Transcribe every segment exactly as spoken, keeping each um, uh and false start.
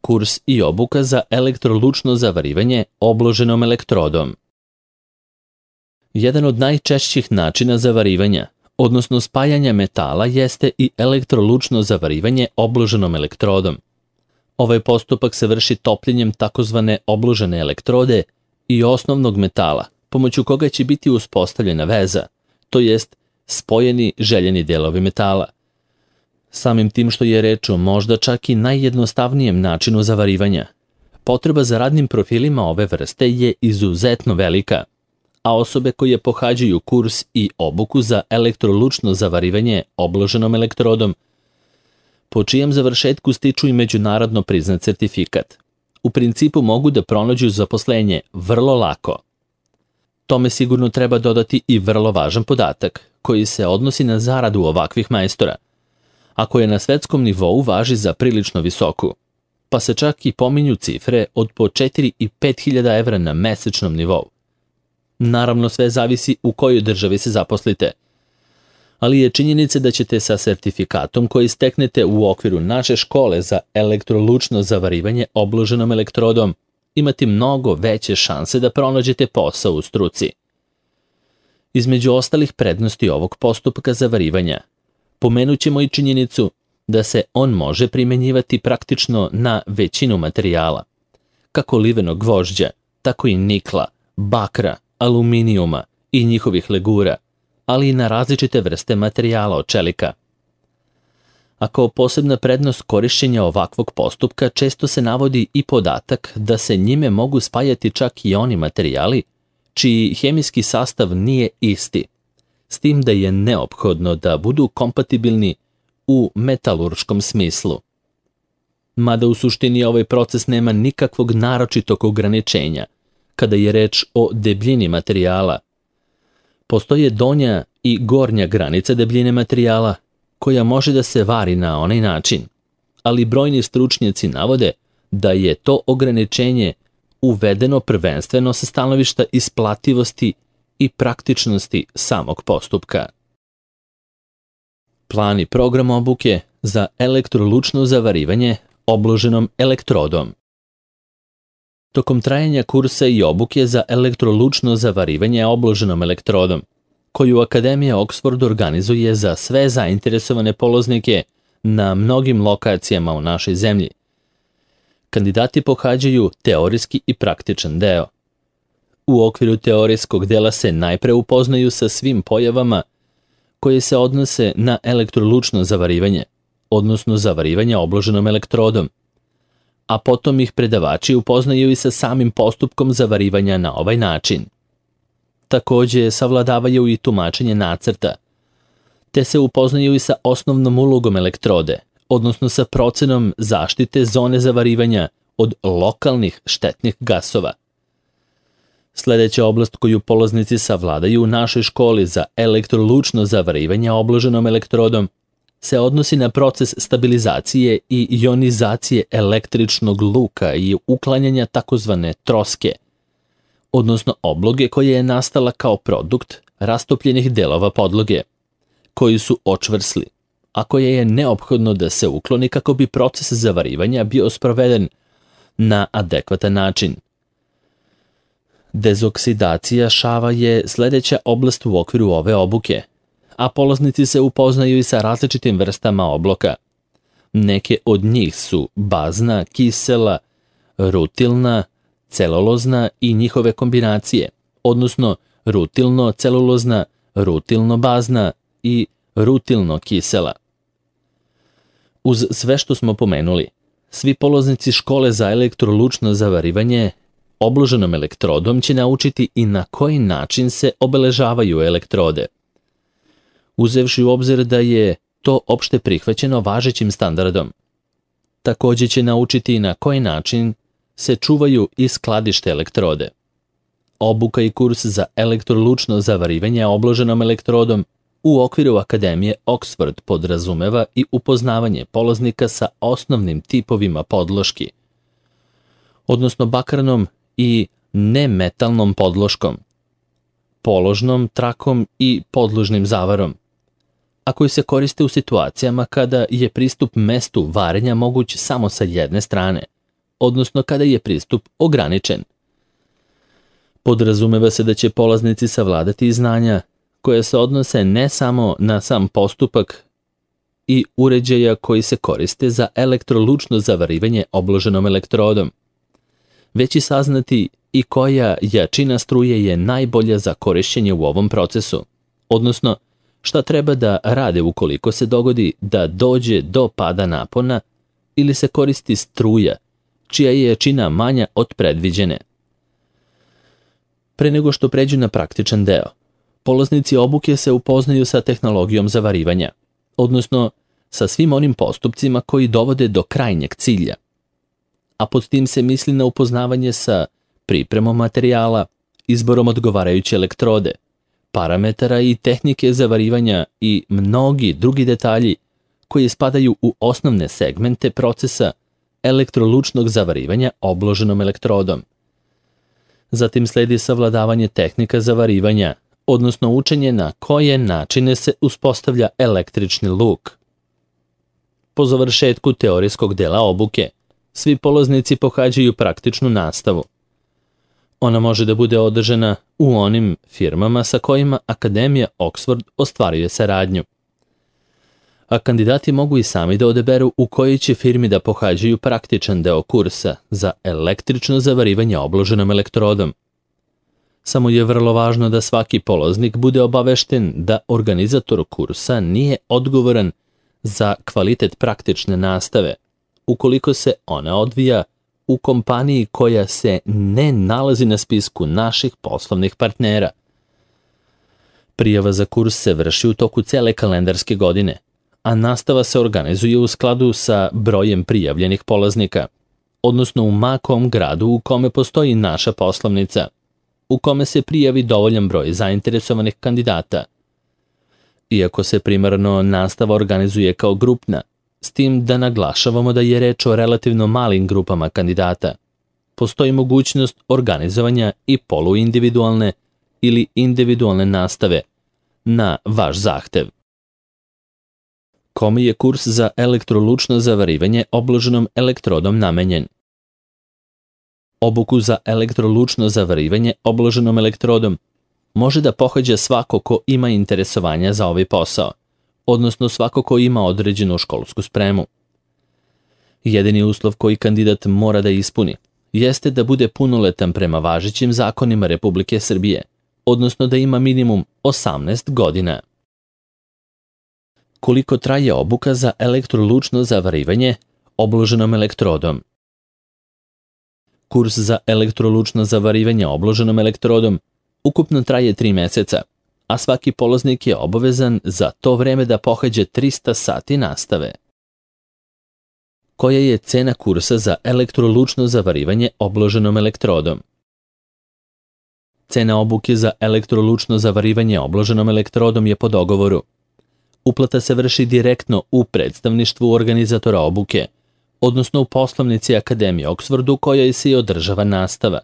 kurs i obuka za elektrolučno zavarivanje obloženom elektrodom. Jedan od najčešćih načina zavarivanja, odnosno spajanja metala, jeste i elektrolučno zavarivanje obloženom elektrodom. Ovaj postupak se vrši topljenjem takozvane obložene elektrode i osnovnog metala, pomoću koga će biti uspostavljena veza, to jest spojeni željeni delovi metala. Samim tim što je reč o možda čak i najjednostavnijem načinu zavarivanja, potreba za radnim profilima ove vrste je izuzetno velika, a osobe koje pohađaju kurs i obuku za elektrolučno zavarivanje obloženom elektrodom, po čijem završetku stiču i međunarodno priznat certifikat, u principu mogu da pronađu zaposlenje vrlo lako. Tome sigurno treba dodati i vrlo važan podatak, koji se odnosi na zaradu ovakvih majstora, a koje na svetskom nivou važi za prilično visoku, pa se čak i pominju cifre od po četiri i pet hiljada evra na mesečnom nivou. Naravno, sve zavisi u kojoj državi se zaposlite, ali je činjenica da ćete sa sertifikatom koji steknete u okviru naše škole za elektrolučno zavarivanje obloženom elektrodom imati mnogo veće šanse da pronađete posao u struci. Između ostalih prednosti ovog postupka zavarivanja, pomenut ćemo i činjenicu da se on može primenjivati praktično na većinu materijala, kako livenog gvožđa, tako i nikla, bakra, aluminijuma i njihovih legura, ali i na različite vrste materijala od čelika. A kao posebna prednost korišćenja ovakvog postupka često se navodi i podatak da se njime mogu spajati čak i oni materijali čiji hemijski sastav nije isti, s tim da je neophodno da budu kompatibilni u metalurškom smislu. Mada u suštini ovaj proces nema nikakvog naročitog ograničenja kada je reč o debljini materijala. Postoje donja i gornja granica debljine materijala koja može da se vari na onaj način, ali brojni stručnjaci navode da je to ograničenje uvedeno prvenstveno sa stanovišta isplativosti i praktičnosti samog postupka. Plan i program obuke za elektrolučno zavarivanje obloženom elektrodom. Tokom trajanja kursa i obuke za elektrolučno zavarivanje obloženom elektrodom, koju Akademija Oxford organizuje za sve zainteresovane poloznike na mnogim lokacijama u našoj zemlji, kandidati pohađaju teorijski i praktičan deo. U okviru teorijskog dela se najpre upoznaju sa svim pojavama koje se odnose na elektrolučno zavarivanje, odnosno zavarivanje obloženom elektrodom, a potom ih predavači upoznaju i sa samim postupkom zavarivanja na ovaj način. Takođe savladavaju i tumačenje nacrta, te se upoznaju i sa osnovnom ulogom elektrode, odnosno sa procenom zaštite zone zavarivanja od lokalnih štetnih gasova. Sljedeća oblast koju polaznici savladaju u našoj školi za elektrolučno zavarivanje obloženom elektrodom se odnosi na proces stabilizacije i ionizacije električnog luka i uklanjanja takozvane troske, odnosno obloge koja je nastala kao produkt rastopljenih delova podloge, koji su očvrsli, a koje je neophodno da se ukloni kako bi proces zavarivanja bio sproveden na adekvatan način. Dezoksidacija šava je sljedeća oblast u okviru ove obuke, a polaznici se upoznaju i sa različitim vrstama obloka. Neke od njih su bazna, kisela, rutilna, celulozna i njihove kombinacije, odnosno rutilno-celulozna, rutilno-bazna i rutilno-kisela. Uz sve što smo pomenuli, svi polaznici škole za elektrolučno zavarivanje obloženom elektrodom će naučiti i na koji način se obeležavaju elektrode. Uzevši u obzir da je to opšte prihvaćeno važećim standardom. Također će naučiti i na koji način se čuvaju i skladište elektrode. Obuka i kurs za elektrolučno zavarivanje obloženom elektrodom u okviru Akademije Oxford podrazumeva i upoznavanje polaznika sa osnovnim tipovima podloški, odnosno bakarnom i nemetalnom podloškom, položnom trakom i podložnim zavarom, a koji se koriste u situacijama kada je pristup mestu varenja moguć samo sa jedne strane, odnosno kada je pristup ograničen. Podrazumeva se da će polaznici savladati znanja koje se odnose ne samo na sam postupak i uređaja koji se koriste za elektrolučno zavarivanje obloženom elektrodom, već i saznati i koja jačina struje je najbolja za korišćenje u ovom procesu, odnosno šta treba da rade ukoliko se dogodi da dođe do pada napona ili se koristi struja čija je jačina manja od predviđene. Pre nego što pređu na praktičan deo, polaznici obuke se upoznaju sa tehnologijom zavarivanja, odnosno sa svim onim postupcima koji dovode do krajnjeg cilja, a pod tim se misli na upoznavanje sa pripremom materijala, izborom odgovarajuće elektrode, parametara i tehnike zavarivanja i mnogi drugi detalji koji spadaju u osnovne segmente procesa elektrolučnog zavarivanja obloženom elektrodom. Zatim sledi savladavanje tehnika zavarivanja, odnosno učenje na koje načine se uspostavlja električni luk. Po završetku teorijskog dela obuke, svi polaznici pohađaju praktičnu nastavu. Ona može da bude održana u onim firmama sa kojima Akademija Oxford ostvaruje saradnju. A kandidati mogu i sami da odaberu u kojoj će firmi da pohađaju praktičan deo kursa za električno zavarivanje obloženom elektrodom. Samo je vrlo važno da svaki polaznik bude obavešten da organizator kursa nije odgovoran za kvalitet praktične nastave, ukoliko se ona odvija u kompaniji koja se ne nalazi na spisku naših poslovnih partnera. Prijava za kurs se vrši u toku cele kalendarske godine, a nastava se organizuje u skladu sa brojem prijavljenih polaznika, odnosno u makom gradu u kome postoji naša poslovnica, u kome se prijavi dovoljan broj zainteresovanih kandidata. Iako se primarno nastava organizuje kao grupna, s tim da naglašavamo da je reč o relativno malim grupama kandidata, postoji mogućnost organizovanja i poluindividualne ili individualne nastave na vaš zahtev. Kome je kurs za elektrolučno zavarivanje obloženom elektrodom namenjen? Obuku za elektrolučno zavarivanje obloženom elektrodom može da pohađa svako ko ima interesovanja za ovaj posao, odnosno svako ko ima određenu školsku spremu. Jedini uslov koji kandidat mora da ispuni jeste da bude punoletan prema važećim zakonima Republike Srbije, odnosno da ima minimum osamnaest godina. Koliko traje obuka za elektrolučno zavarivanje obloženom elektrodom? Kurs za elektrolučno zavarivanje obloženom elektrodom ukupno traje tri meseca, a svaki polaznik je obavezan za to vreme da pohađa trista sati nastave. Koja je cena kursa za elektrolučno zavarivanje obloženom elektrodom? Cena obuke za elektrolučno zavarivanje obloženom elektrodom je po dogovoru. Uplata se vrši direktno u predstavništvu organizatora obuke, odnosno u poslovnici Akademije Oxford u kojoj se i održava nastava.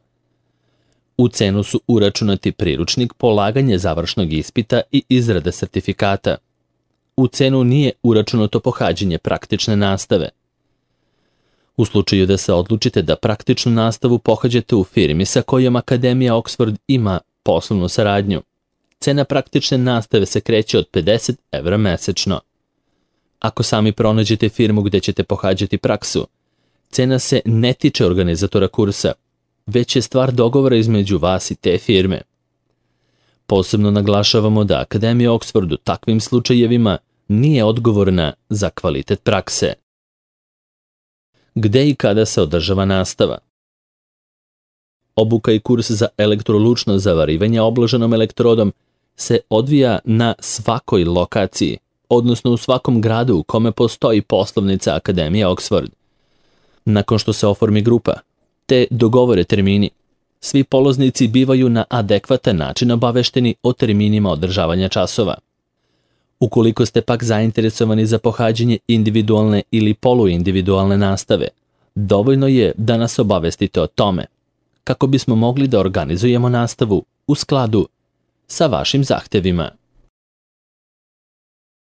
U cenu su uračunati priručnik, polaganje završnog ispita i izrada sertifikata. U cenu nije uračunato pohađanje praktične nastave. U slučaju da se odlučite da praktičnu nastavu pohađate u firmi sa kojom Akademija Oxford ima poslovnu saradnju, cena praktične nastave se kreće od pedeset evra mesečno. Ako sami pronađete firmu gde ćete pohađati praksu, cena se ne tiče organizatora kursa, već je stvar dogovora između vas i te firme. Posebno naglašavamo da Akademija Oxford u takvim slučajevima nije odgovorna za kvalitet prakse. Gde i kada se održava nastava? Obuka i kurs za elektrolučno zavarivanje obloženom elektrodom se odvija na svakoj lokaciji, odnosno u svakom gradu u kome postoji poslovnica Akademije Oxford. Nakon što se oformi grupa, te dogovore termini, svi polaznici bivaju na adekvatan način obavešteni o terminima održavanja časova. Ukoliko ste pak zainteresovani za pohađanje individualne ili poluindividualne nastave, dovoljno je da nas obavestite o tome, kako bismo mogli da organizujemo nastavu u skladu sa vašim zahtevima.